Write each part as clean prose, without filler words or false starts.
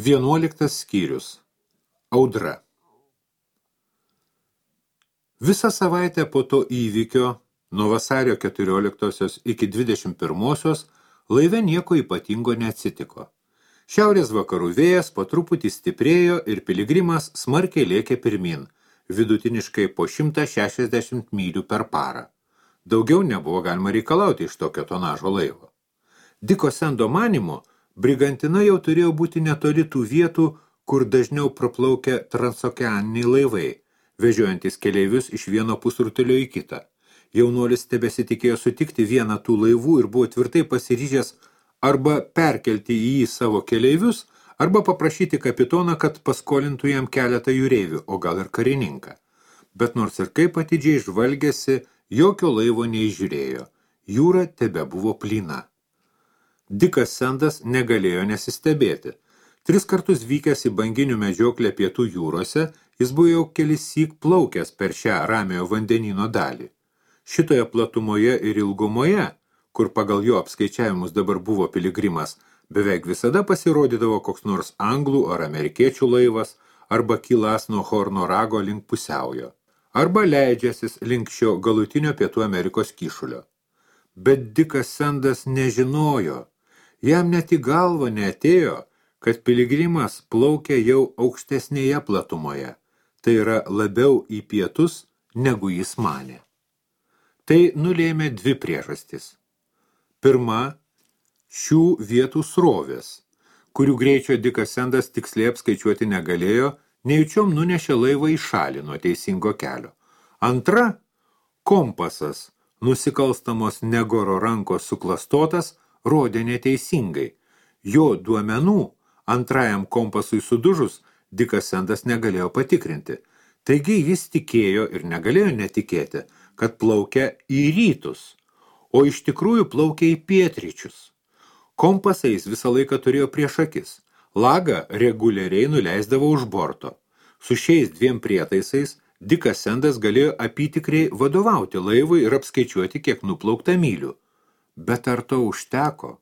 11 skyrius. Audra. Visą savaitę po to įvykio, nuo vasario 14 iki 21 laive nieko ypatingo neatsitiko. Šiaurės vakarų vėjas po truputį stiprėjo ir piligrimas smarkiai lėkė pirmin, vidutiniškai po 160 mylių per parą. Daugiau nebuvo galima reikalauti iš tokio tonažo laivo. Diko Sendo manymu, brigantina jau turėjo būti netoli tų vietų, kur dažniau praplaukia transokeaniniai laivai, vežiojantis keleivius iš vieno pusrutulio į kitą. Jaunuolis tebesitikėjo sutikti vieną tų laivų ir buvo tvirtai pasiryžęs arba perkelti į jį savo keleivius, arba paprašyti kapitoną, kad paskolintų jam keletą jūreivių, o gal ir karininką. Bet nors ir kaip atidžiai žvalgėsi, jokio laivo neįžiūrėjo. Jūra tebebuvo plyna. Dikas Sendas negalėjo nesistebėti. 3 kartus vykęs į banginių medžioklę pietų jūrose, jis buvo jau kelissyk plaukęs per šią ramiojo vandenyno dalį. Šitoje platumoje ir ilgumoje, kur pagal jo apskaičiavimus dabar buvo piligrimas, beveik visada pasirodydavo koks nors anglų ar amerikiečių laivas, arba kylas nuo Horno rago link pusiaujo, arba leidžiasis link šio galutinio Pietų Amerikos kyšulio. Bet Dikas Sendas nežinojo, jam net į galvą neatėjo, kad piligrimas plaukia jau aukštesnėje platumoje, tai yra labiau į pietus, negu jis manė. Tai nulėmė 2 priežastis. Pirma, šių vietų srovės, kurių greičio Dikas Sendas tiksliai apskaičiuoti negalėjo, nejučiom nunešė laivą į šalį nuo teisingo kelio. Antra, kompasas, nusikalstamos Negoro rankos suklastotas, rodė neteisingai. Jo duomenų antrajam kompasui sudužus Dikas Sendas negalėjo patikrinti. Taigi jis tikėjo ir negalėjo netikėti, kad plaukia į rytus, o iš tikrųjų plaukia į pietryčius. Kompasą jis visą laiką turėjo prieš akis. Lagą reguliariai nuleisdavo už borto. Su šiais 2 prietaisais Dikas Sendas galėjo apytikriai vadovauti laivui ir apskaičiuoti, kiek nuplaukta mylių. Bet ar to užteko?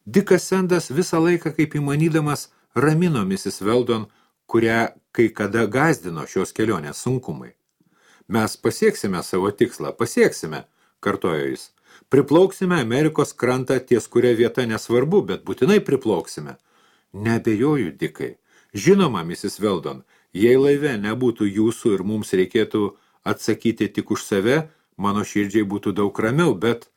Dikas Sendas visą laiką, kaip įmanydamas, ramino Mrs. Weldon, kurią kai kada gazdino šios kelionės sunkumai. Mes pasieksime savo tikslą, pasieksime, kartojo jis. Priplauksime Amerikos krantą, ties kuria vieta nesvarbu, bet būtinai priplauksime. Neabejoju, Dikai. Žinoma, Mrs. Weldon, jei laive nebūtų jūsų ir mums reikėtų atsakyti tik už save, mano širdžiai būtų daug ramiau, bet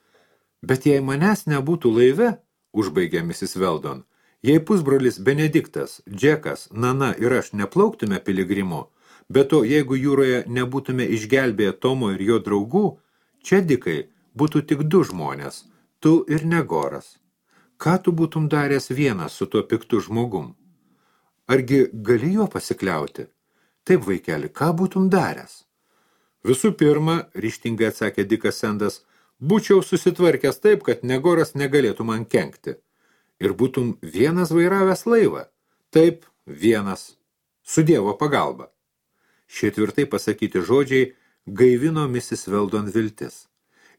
jei manęs nebūtų laive, užbaigė Mrs. Weldon, jei pusbrolis Benediktas, Džekas, Nana ir aš neplauktume piligrimu, bet to jeigu jūroje nebūtume išgelbėję Tomo ir jo draugų, čia, Dikai, būtų tik 2 žmonės, tu ir Negoras. Ką tu būtum daręs vienas su tuo piktu žmogum? Argi gali jo pasikliauti? Taip, vaikeli, ką būtum daręs? Visų pirma, ryžtingai atsakė Dikas Sendas, būčiau susitvarkęs taip, kad Negoras negalėtų man kenkti. Ir būtum vienas vairavęs laivą. Taip, vienas. Su Dievo pagalba. Šie tvirtai pasakyti žodžiai gaivino Mrs. Weldon viltis.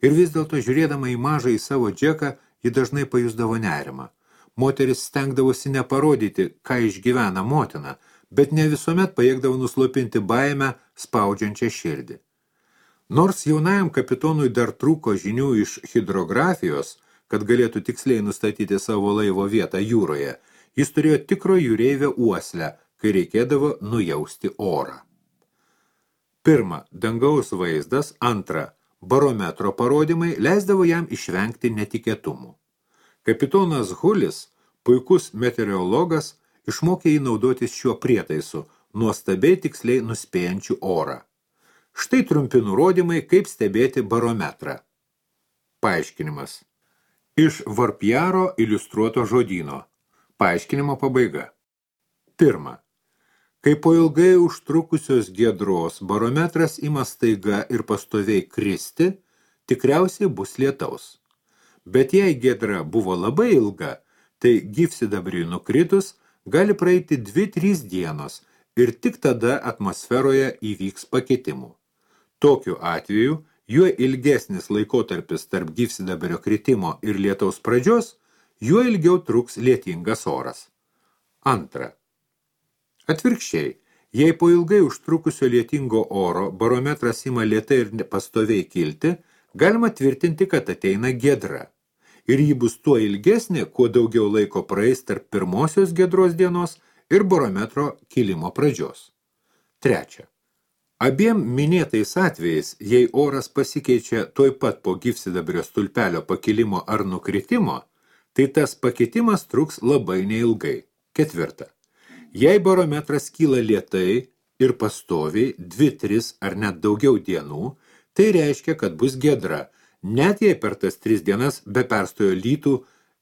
Ir vis dėlto žiūrėdama į mažą į savo Džeką, ji dažnai pajusdavo nerimą. Moteris stengdavosi neparodyti, ką išgyvena motina, bet ne visuomet pajėgdavo nuslopinti baimę, spaudžiančią širdį. Nors jaunajam kapitonui dar trūko žinių iš hidrografijos, kad galėtų tiksliai nustatyti savo laivo vietą jūroje, jis turėjo tikro jūreivio uoslę, kai reikėdavo nujausti orą. Pirma, dangaus vaizdas, antra, barometro parodymai leisdavo jam išvengti netikėtumų. Kapitonas Hulis, puikus meteorologas, išmokė jį naudotis šiuo prietaisu, nuostabiai tiksliai nuspėjančių orą. Štai trumpi nurodymai, kaip stebėti barometrą. Paaiškinimas. Iš Varpjaro iliustruoto žodyno. Paaiškinimo pabaiga. Pirma. Kai po ilgai užtrukusios giedros barometras ima staiga ir pastoviai kristi, tikriausiai bus lietaus. Bet jei giedra buvo labai ilga, tai gyvsidabriui nukritus gali praeiti 2-3 dienos ir tik tada atmosferoje įvyks pakitimų. Tokiu atveju, juo ilgesnis laikotarpis tarp gyvsidabrio kritimo ir lietaus pradžios, juo ilgiau truks lietingas oras. Antra. Atvirkščiai, jei po ilgai užtrukusio lietingo oro barometras ima lėtai ir pastoviai kilti, galima tvirtinti, kad ateina giedra. Ir ji bus tuo ilgesnė, kuo daugiau laiko praeis tarp pirmosios giedros dienos ir barometro kilimo pradžios. Trečia. Abiem minėtais atvejais, jei oras pasikeičia tuoj pat po gyvsidabrio stulpelio pakilimo ar nukritimo, tai tas pakitimas truks labai neilgai. Ketvirta. Jei barometras kyla lėtai ir pastoviai 2-3 ar net daugiau dienų, tai reiškia, kad bus giedra, net jei per tas 3 dienas be perstojo lytų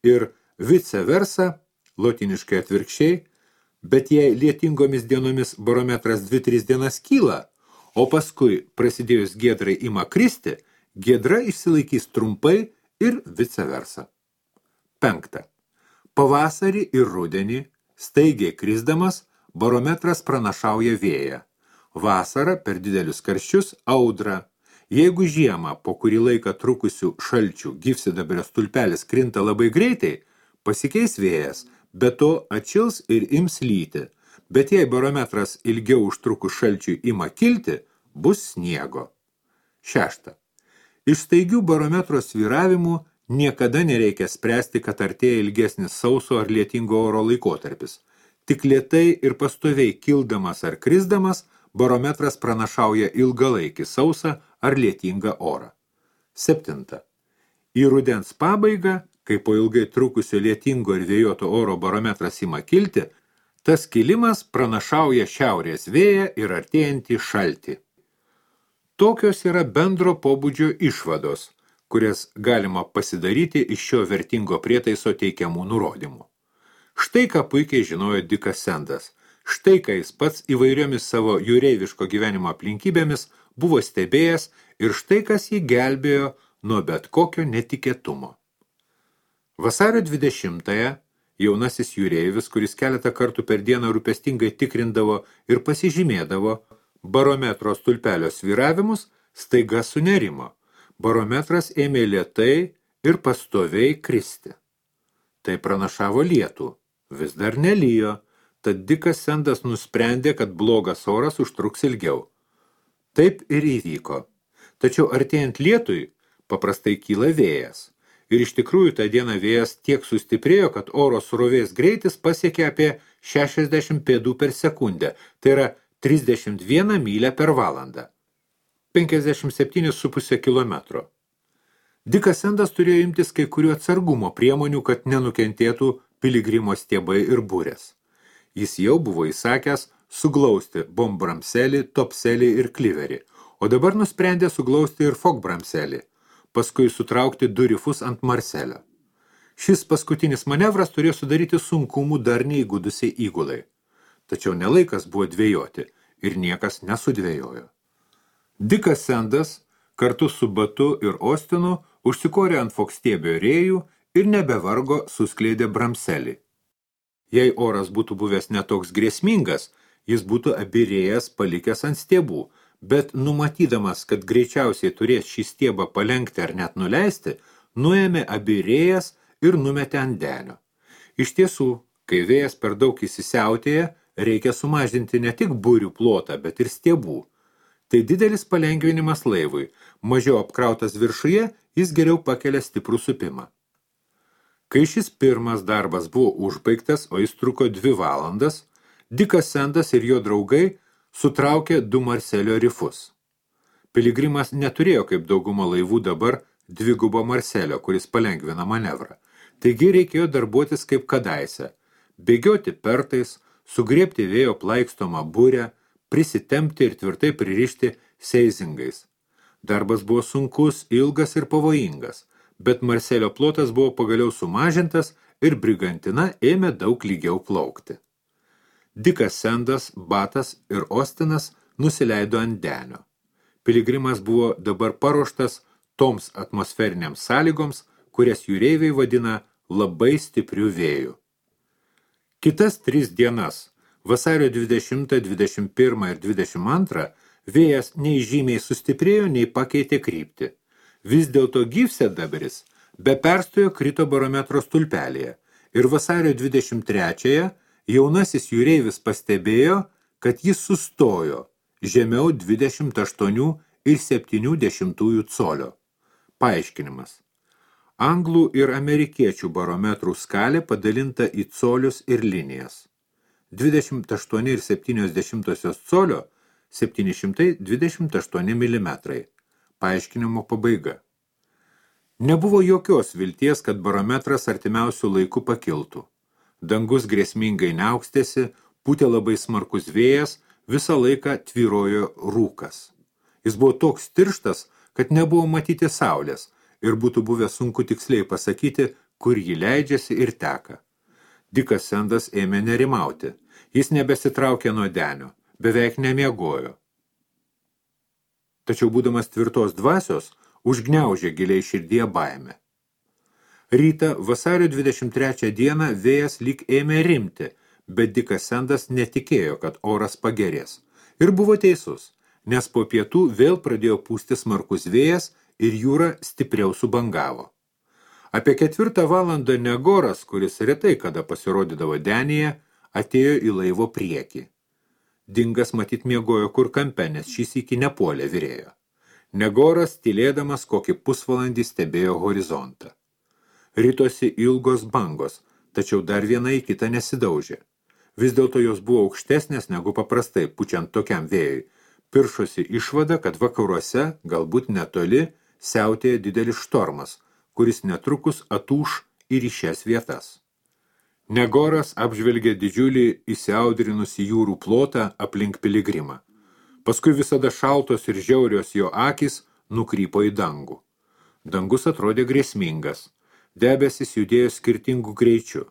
ir vice versa, lotiniškai atvirkščiai, bet jei lietingomis dienomis barometras 2-3 dienas kyla, o paskui prasidėjus giedrai ima kristi, giedra išsilaikys trumpai ir vice versa. 5. Pavasarį ir rudenį, staigiai krisdamas, barometras pranašauja vėją. Vasarą per didelius karščius audrą. Jeigu žiemą po kurį laiką trukusių šalčių gyvsidabrio stulpelis krinta labai greitai, pasikeis vėjas, bet to atšils ir ims lyti. Bet jei barometras ilgiau užtrukus šalčiui ima kilti, bus sniego. 6. Iš staigių barometro svyravimų niekada nereikia spręsti, kad artėja ilgesnis sauso ar lietingo oro laikotarpis. Tik lėtai ir pastoviai kildamas ar krisdamas, barometras pranašauja ilgalaikį sausą ar lietingą orą. 7. Į rudens pabaigą, kai po ilgai trukusio lietingo ir vėjuoto oro barometras ima kilti, tas kilimas pranašauja šiaurės vėją ir artėjantį šaltį. Tokios yra bendro pobūdžio išvados, kurias galima pasidaryti iš šio vertingo prietaiso teikiamų nurodymų. Štai ką puikiai žinojo Dikas Sendas, štai ką jis pats įvairiomis savo jūreiviško gyvenimo aplinkybėmis buvo stebėjęs ir štai kas jį gelbėjo nuo bet kokio netikėtumo. Vasario 20-ąją jaunasis jūreivis, kuris keletą kartų per dieną rūpestingai tikrindavo ir pasižymėdavo barometro stulpelio svyravimus, staiga sunerimo. Barometras ėmė lėtai ir pastoviai kristi. Tai pranašavo lietų. Vis dar nelijo, tad Dikas Sendas nusprendė, kad blogas oras užtruks ilgiau. Taip ir įvyko. Tačiau artėjant lietui paprastai kyla vėjas. Ir iš tikrųjų tą dieną vėjas tiek sustiprėjo, kad oro srovės greitis pasiekė apie 60 pėdų per sekundę, tai yra 31 mylę per valandą, 57,5 kilometro. Dikas Sendas turėjo imtis kai kurių atsargumo priemonių, kad nenukentėtų piligrimo stiebai ir burės. Jis jau buvo įsakęs suglausti bombramselį, topselį ir kliverį, o dabar nusprendė suglausti ir fogbramselį, paskui sutraukti du rifus ant marselio. Šis paskutinis manevras turėjo sudaryti sunkumų dar neįgudusiai įgulai. Tačiau nelaikas buvo dvejoti ir niekas nesudvejojo. Dikas Sendas kartu su Batu ir Ostinu užsikorė ant fokstiebio rėjų ir nebevargo suskleidė bramselį. Jei oras būtų buvęs netoks grėsmingas, jis būtų abirėjęs palikęs ant stiebų, bet numatydamas, kad greičiausiai turės šį stiebą palenkti ar net nuleisti, nuėmė abirėjas ir numetė ant denio. Iš tiesų, kai vėjas per daug įsisiautėja, reikia sumažinti ne tik burių plotą, bet ir stiebų. Tai didelis palengvinimas laivui, mažiau apkrautas viršuje, jis geriau pakelia stiprų supimą. Kai šis pirmas darbas buvo užbaigtas, o jis truko 2 valandas, Dikas Sendas ir jo draugai sutraukė 2 marselio rifus. Piligrimas neturėjo kaip dauguma laivų dabar 2 marselio, kuris palengvina manevrą. Taigi reikėjo darbuotis kaip kadaise, bėgioti pertais, sugriebti vėjo plaikstomą burę, prisitempti ir tvirtai pririšti seizingais. Darbas buvo sunkus, ilgas ir pavojingas, bet marselio plotas buvo pagaliau sumažintas ir brigantina ėmė daug lygiau plaukti. Dikas Sendas, Batas ir Ostinas nusileido ant denio. Piligrimas buvo dabar paruoštas toms atmosferiniams sąlygoms, kurias jūreiviai vadina labai stiprių vėjų. Kitas 3 dienas, vasario 20, 21 ir 22, vėjas nei žymiai sustiprėjo, nei pakeitė kryptį. Vis dėlto gyvsidabris be perstojo krito barometro stulpelėje ir vasario 23-ąją jaunasis jūreivis pastebėjo, kad jis sustojo žemiau 28,7 colio. Paaiškinimas. Anglų ir amerikiečių barometrų skalė padalinta į colius ir linijas. 28,7 colio 728 mm. Paaiškinimo pabaiga. Nebuvo jokios vilties, kad barometras artimiausių laikų pakiltų. Dangus grėsmingai neaukstėsi, pūtė labai smarkus vėjas, visą laiką tvyrojo rūkas. Jis buvo toks tirštas, kad nebuvo matyti saulės ir būtų buvę sunku tiksliai pasakyti, kur ji leidžiasi ir teka. Dikas Sandas ėmė nerimauti. Jis nebesitraukė nuo denio, beveik nemiegojo. Tačiau būdamas tvirtos dvasios, užgniaužė giliai širdyje baimę. Rytą vasario 23 dieną vėjas lyg ėmė rimti, bet Dikas Sandas netikėjo, kad oras pagerės. Ir buvo teisus, nes po pietų vėl pradėjo pūsti smarkus vėjas ir jūra stipriau subangavo. Apie 4 valandą Negoras, kuris retai kada pasirodydavo denyje, atėjo į laivo priekį. Dingas matyt miegojo kur kampe, nes šis iki nepuolė virėjo. Negoras, tylėdamas kokį pusvalandį, stebėjo horizontą. Ritosi ilgos bangos, tačiau dar viena į kitą nesidaužė. Vis dėlto jos buvo aukštesnės negu paprastai, pučiant tokiam vėjui. Piršosi išvada, kad vakaruose, galbūt netoli, siautėja didelis štormas, kuris netrukus atūš ir į šias vietas. Negoras apžvelgė didžiulį įsiaudrinusi jūrų plotą aplink piligrimą. Paskui visada šaltos ir žiaurios jo akys nukrypo į dangų. Dangus atrodė grėsmingas. Debesis judėjo skirtingų greičių.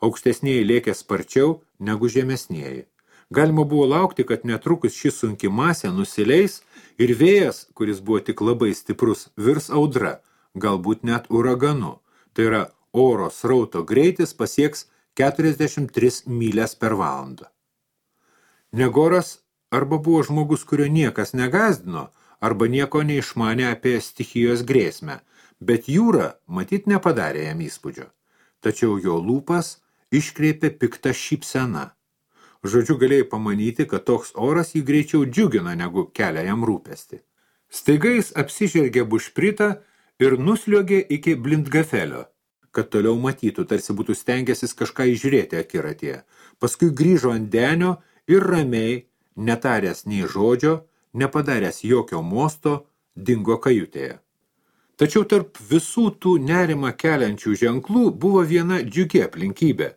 Aukštesnieji lėkė sparčiau negu žemesnieji. Galima buvo laukti, kad netrukus ši sunki masė nusileis ir vėjas, kuris buvo tik labai stiprus, virs audra, galbūt net uraganu. Tai yra, oro srauto greitis pasieks 43 mylias per valandą. Negoras arba buvo žmogus, kurio niekas negazdino, arba nieko neišmanė apie stichijos grėsmę, bet jūra matyt nepadarė jam įspūdžio. Tačiau jo lūpas iškreipė piktą šypseną. Žodžiu, galėjai pamanyti, kad toks oras jį greičiau džiugina, negu kelia jam rūpestį. Staiga jis apsižergė bušpritą ir nusliuogė iki blindgafelio, kad toliau matytų, tarsi būtų stengęsis kažką įžiūrėti akiratyje. Paskui grįžo ant denio ir ramiai, netaręs nei žodžio, nepadaręs jokio mosto, dingo kajutėje. Tačiau tarp visų tų nerimą keliančių ženklų buvo viena džiugi aplinkybė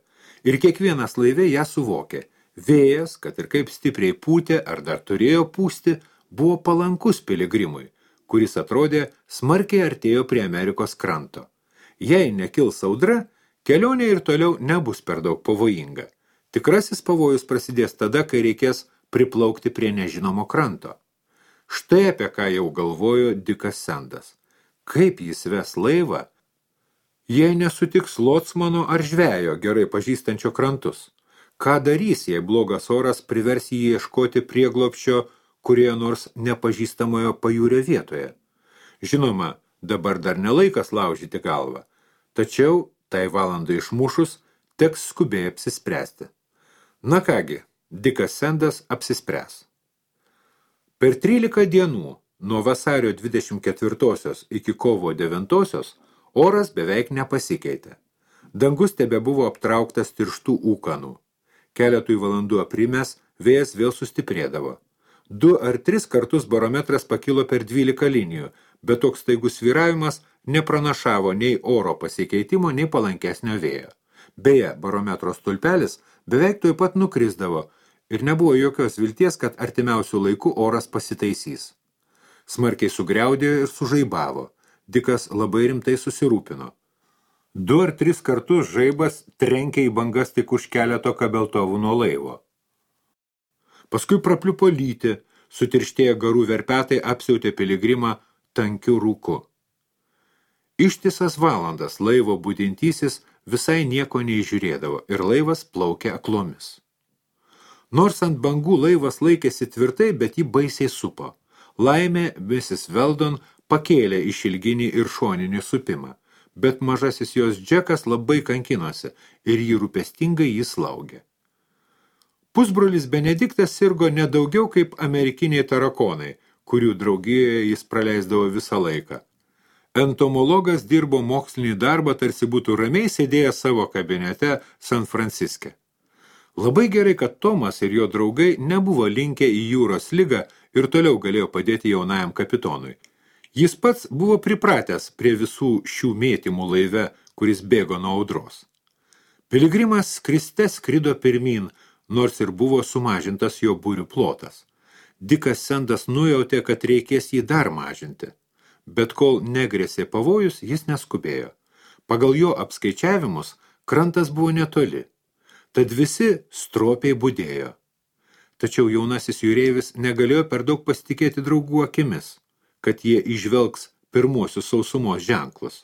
ir kiekvienas laive ją suvokė. Vėjas, kad ir kaip stipriai pūtė ar dar turėjo pūsti, buvo palankus piligrimui, kuris atrodė smarkiai artėjo prie Amerikos kranto. Jei nekils audra, kelionė ir toliau nebus per daug pavojinga. Tikrasis pavojus prasidės tada, kai reikės priplaukti prie nežinomo kranto. Štai apie ką jau galvojo Dikas Sandas. Kaip jis ves laivą, jei nesutiks lotsmano ar žvejo gerai pažįstančio krantus? Ką darys, jei blogas oras privers jį ieškoti prieglobsčio kurioje nors nepažįstamojo pajūrio vietoje? Žinoma, dabar dar nelaikas laužyti galvą, tačiau tai valandai išmušus teks skubiai apsispręsti. Na kągi, Dikas Sandas apsispręs. Per 13 dienų, nuo vasario 24 iki kovo 9 oras beveik nepasikeitė. Dangus tebebuvo aptrauktas tirštų ūkanų. Keletui valandų aprimęs, vėjas vėl sustiprėdavo. 2 ar 3 kartus barometras pakilo per 12 linijų, bet toks staigus svyravimas nepranašavo nei oro pasikeitimo, nei palankesnio vėjo. Beje, barometro stulpelis beveik tuoj pat nukrisdavo ir nebuvo jokios vilties, kad artimiausių laikų oras pasitaisys. Smarkiai sugriaudėjo ir sužaibavo. Dikas labai rimtai susirūpino. 2 ar 3 kartus žaibas trenkė į bangas tik už keleto kabeltovų nuo laivo. Paskui prapliupo lyti, sutirštėję garų verpetai apsiautė piligrimą tankiu rūku. Ištisas valandas laivo budintysis visai nieko neižiūrėdavo ir laivas plaukė aklomis. Nors ant bangų laivas laikėsi tvirtai, bet jį baisiai supo. Laimė Mrs. Weldon pakėlė išilginį ir šoninį supimą, bet mažasis jos Džekas labai kankinosi ir jį rūpestingai jį slaugė. Pusbrolis Benediktas sirgo nedaugiau kaip amerikiniai tarakonai, kurių draugijoje jis praleisdavo visą laiką. Entomologas dirbo mokslinį darbą, tarsi būtų ramiai sėdėjęs savo kabinete San Franciske. Labai gerai, kad Tomas ir jo draugai nebuvo linkę į jūros ligą ir toliau galėjo padėti jaunajam kapitonui. Jis pats buvo pripratęs prie visų šių mėtymų laive, kuris bėgo nuo audros. Piligrimas skriste skrido pirmyn, nors ir buvo sumažintas jo būrių plotas. Dikas Sendas nujautė, kad reikės jį dar mažinti. Bet kol negrėsė pavojus, jis neskubėjo. Pagal jo apskaičiavimus, krantas buvo netoli. Tad visi stropiai budėjo. Tačiau jaunasis jūreivis negalėjo per daug pasitikėti draugų akimis, kad jie įžvelgs pirmuosius sausumos ženklus.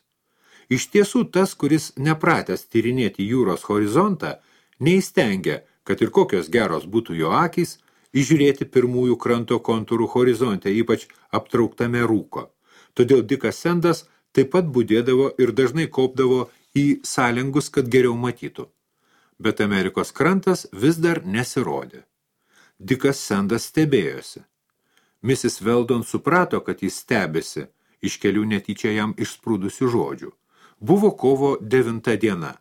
Iš tiesų tas, kuris nepratęs tyrinėti jūros horizontą, neįstengia, kad ir kokios geros būtų jo akys, įžiūrėti pirmųjų kranto kontūrų horizonte, ypač aptrauktame rūko. Todėl Dikas Sendas taip pat budėdavo ir dažnai kopdavo į sąlengus, kad geriau matytų. Bet Amerikos krantas vis dar nesirodė. Dikas Sendas stebėjosi. Mrs. Weldon suprato, kad jis stebėsi, iš kelių netyčia jam išsprūdusių žodžių. Buvo kovo 9 diena.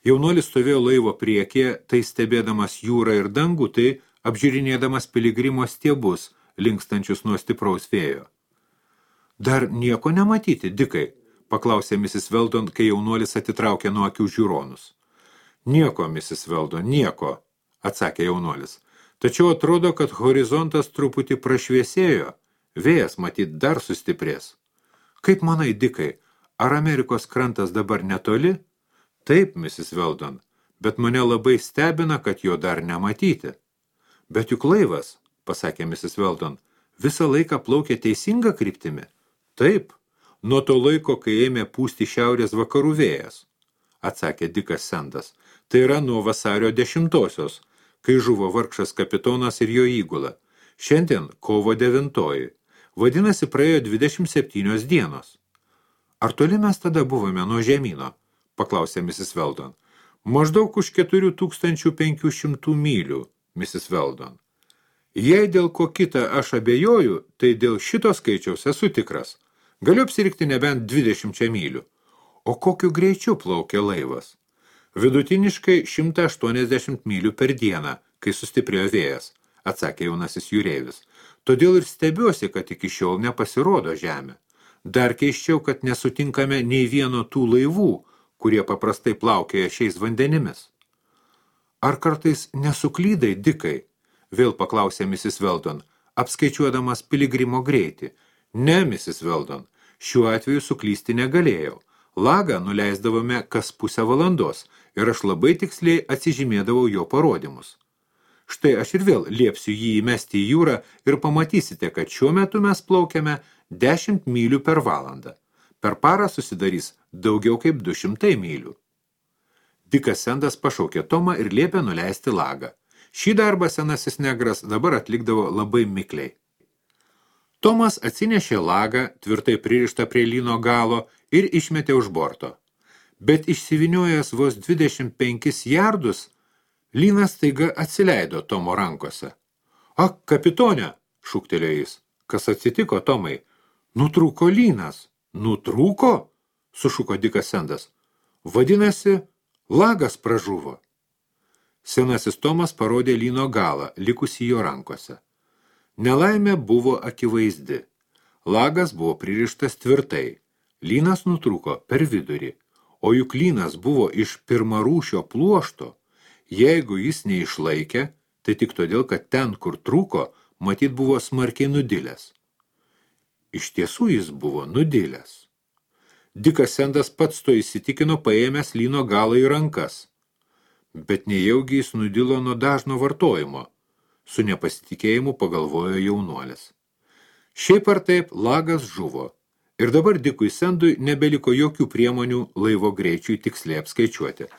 Jaunuolis stovėjo laivo priekyje, tai stebėdamas jūrą ir dangų, tai apžiūrinėdamas piligrimo stiebus, linkstančius nuo stipraus vėjo. Dar nieko nematyti, Dikai, paklausė Mrs. Weldon, kai jaunuolis atitraukė nuo akių žiūronus. Nieko, Mrs. Weldon, nieko, atsakė jaunuolis. Tačiau atrodo, kad horizontas truputį prašviesėjo, vėjas matyt dar sustiprės. Kaip manai, Dikai, ar Amerikos krantas dabar netoli? Taip, Mrs. Weldon, bet mane labai stebina, kad jo dar nematyti. Bet juk laivas, pasakė Mrs. Weldon, visą laiką plaukė teisinga kryptimi. Taip, nuo to laiko, kai ėmė pūsti šiaurės vakarų vėjas, atsakė Dikas Sendas. Tai yra nuo vasario 10-osios, kai žuvo vargšas kapitonas ir jo įgula. Šiandien kovo 9. Vadinasi, praėjo 27 dienos. Ar toli mes tada buvome nuo žemyno? Paklausė Mrs. Weldon. Maždaug už 4500 mylių, Mrs. Weldon. Jei dėl ko kita aš abejoju, tai dėl šito skaičiaus esu tikras. Galiu apsirikti nebent 20 mylių. O kokiu greičiu plaukia laivas? Vidutiniškai 180 mylių per dieną, kai sustiprėjo vėjas, atsakė jaunasis jūreivis. Todėl ir stebiuosi, kad iki šiol nepasirodo žemė. Dar keisčiau, kad nesutinkame nei vieno tų laivų, kurie paprastai plaukėja šiais vandenimis. Ar kartais nesuklydai, Dikai? Vėl paklausė Mrs. Weldon, apskaičiuodamas piligrimo greitį. Ne, Mrs. Weldon, šiuo atveju suklysti negalėjau. Lagą nuleisdavome kas pusę valandos ir aš labai tiksliai atsižymėdavau jo parodymus. Štai aš ir vėl liepsiu jį įmesti į jūrą ir pamatysite, kad šiuo metu mes plaukiame 10 mylių per valandą. Per parą susidarys daugiau kaip 200 mylių. Dikas Sendas pašaukė Tomą ir liepė nuleisti lagą. Šį darbą senasis negras dabar atlikdavo labai mikliai. Tomas atsinešė lagą, tvirtai pririštą prie lyno galo ir išmetė už borto. Bet išsiviniojęs vos 25 jardus, lynas staiga atsileido Tomo rankose. Ak, kapitone, šūktelėjo jis. Kas atsitiko, Tomai? Nutrūko lynas. Nutrūko? Sušuko Dikas Sendas. Vadinasi, lagas pražuvo. Senasis Tomas parodė lyno galą, likusį jo rankose. Nelaimė buvo akivaizdi. Lagas buvo pririštas tvirtai. Lynas nutrūko per vidurį. O juk lynas buvo iš pirmarūšio pluošto. Jeigu jis neišlaikė, tai tik todėl, kad ten, kur trūko, matyt buvo smarkiai nudilęs. Iš tiesų jis buvo nudilęs. Dikas Sendas pats to įsitikino paėmęs lyno galą į rankas. Bet nejaugi jis nudilo nuo dažno vartojimo. Su nepasitikėjimu pagalvojo jaunuolis. Šiaip ar taip lagas žuvo. Ir dabar Dikui Sendui nebeliko jokių priemonių laivo greičiui tiksliai apskaičiuoti.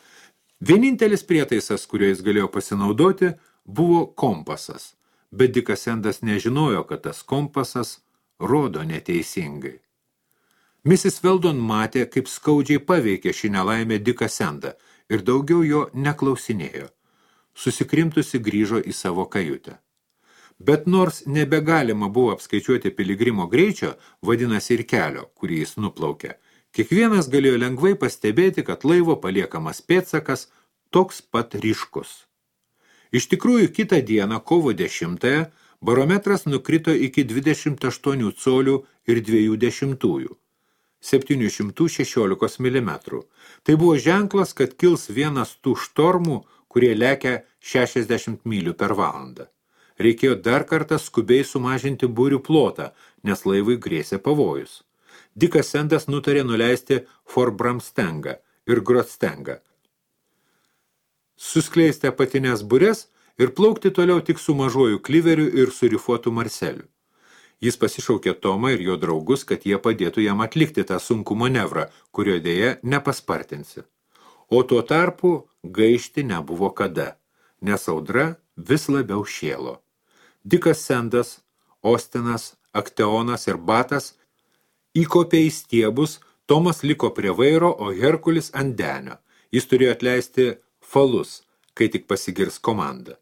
Vienintelis prietaisas, kuriuo jis galėjo pasinaudoti, buvo kompasas. Bet Dikas Sendas nežinojo, kad tas kompasas rodo neteisingai. Mrs. Weldon matė, kaip skaudžiai paveikė šį nelaimę Diką Sendą ir daugiau jo neklausinėjo. susikrimtusi grįžo į savo kajutę. Bet nors nebegalima buvo apskaičiuoti piligrimo greičio, vadinasi ir kelio, kurį jis nuplaukė, kiekvienas galėjo lengvai pastebėti, kad laivo paliekamas pėdsakas toks pat ryškus. Iš tikrųjų, kitą dieną, kovo 10-ąją, barometras nukrito iki 28 colių ir 0,2, 716 mm. Tai buvo ženklas, kad kils vienas tų štormų, kurie lekia 60 mylių per valandą. Reikėjo dar kartą skubiai sumažinti burių plotą, nes laivui grėsė pavojus. Dikas Sendas nutarė nuleisti Forbramstengą ir Grotstengą, suskleisti apatinės burės ir plaukti toliau tik su mažuoju kliveriu ir surifuotu marseliu. Jis pasišaukė Tomą ir jo draugus, kad jie padėtų jam atlikti tą sunkų manevrą, kurio dėja nepaspartinsi. O tuo tarpu gaišti nebuvo kada, nes audra vis labiau šėlo. Dikas Sendas, Ostinas, Akteonas ir Batas įkopė į stiebus, Tomas liko prie vairo, o Herkulis ant denio. Jis turėjo atleisti falus, kai tik pasigirs komanda.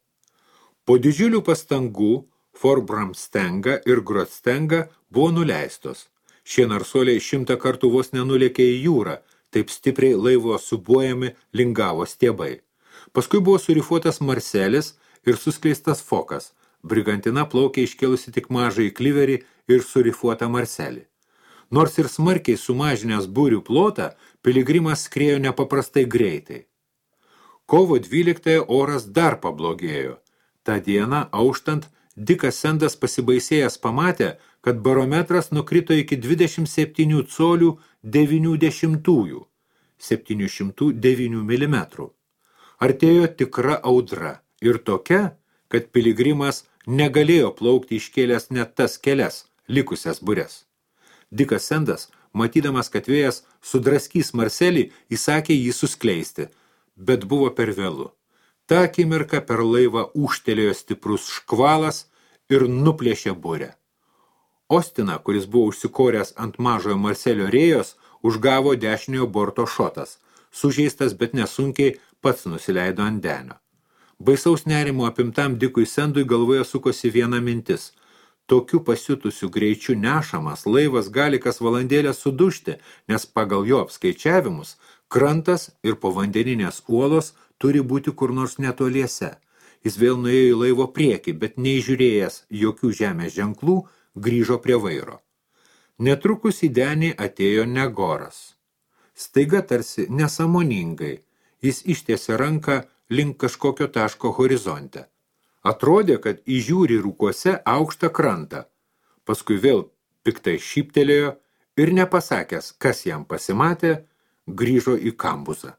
Po didžiulių pastangų Forbramstenga ir Grotstenga buvo nuleistos. Šie narsuoliai 100 kartų vos nenulėkė į jūrą, taip stipriai laivo subuojami lingavo stiebai. Paskui buvo surifuotas marselis ir suskleistas fokas. Brigantina plaukė iškėlusi tik mažąjį kliverį ir surifuotą marselį. Nors ir smarkiai sumažinęs burių plotą, piligrimas skriejo nepaprastai greitai. Kovo 12 oras dar pablogėjo. Ta diena, auštant, Dikas Sendas pasibaisėjęs pamatė, kad barometras nukrito iki 27 colių 90, 709 mm. Artėjo tikra audra ir tokia, kad piligrimas negalėjo plaukti iškėlęs net tas kelias likusias bures. Dikas Sendas, matydamas, kad vėjas sudraskys marselį, įsakė jį suskleisti, bet buvo per vėlu. Ta akimirka per laivą ūžtelėjo stiprus škvalas ir nuplėšė burę. Ostiną, kuris buvo užsikoręs ant mažojo marselio rėjos, užgavo dešiniojo borto šotas. Sužeistas, bet nesunkiai pats nusileido ant denio. Baisaus nerimo apimtam Dikui Sendui galvoje sukosi viena mintis. Tokiu pasiutusiu greičiu nešamas laivas gali kas valandėlę sudužti, nes pagal jo apskaičiavimus krantas ir povandeninės uolos turi būti kur nors netoliese. Jis vėl nuėjo į laivo priekį, bet neįžiūrėjęs jokių žemės ženklų, grįžo prie vairo. Netrukus į denį atėjo Negoras. Staiga tarsi nesąmoningai, jis ištiesė ranką link kažkokio taško horizonte. Atrodė, kad įžiūri rūkuose aukštą krantą. Paskui vėl piktai šyptelėjo ir nepasakęs, kas jam pasimatė, grįžo į kambuzą.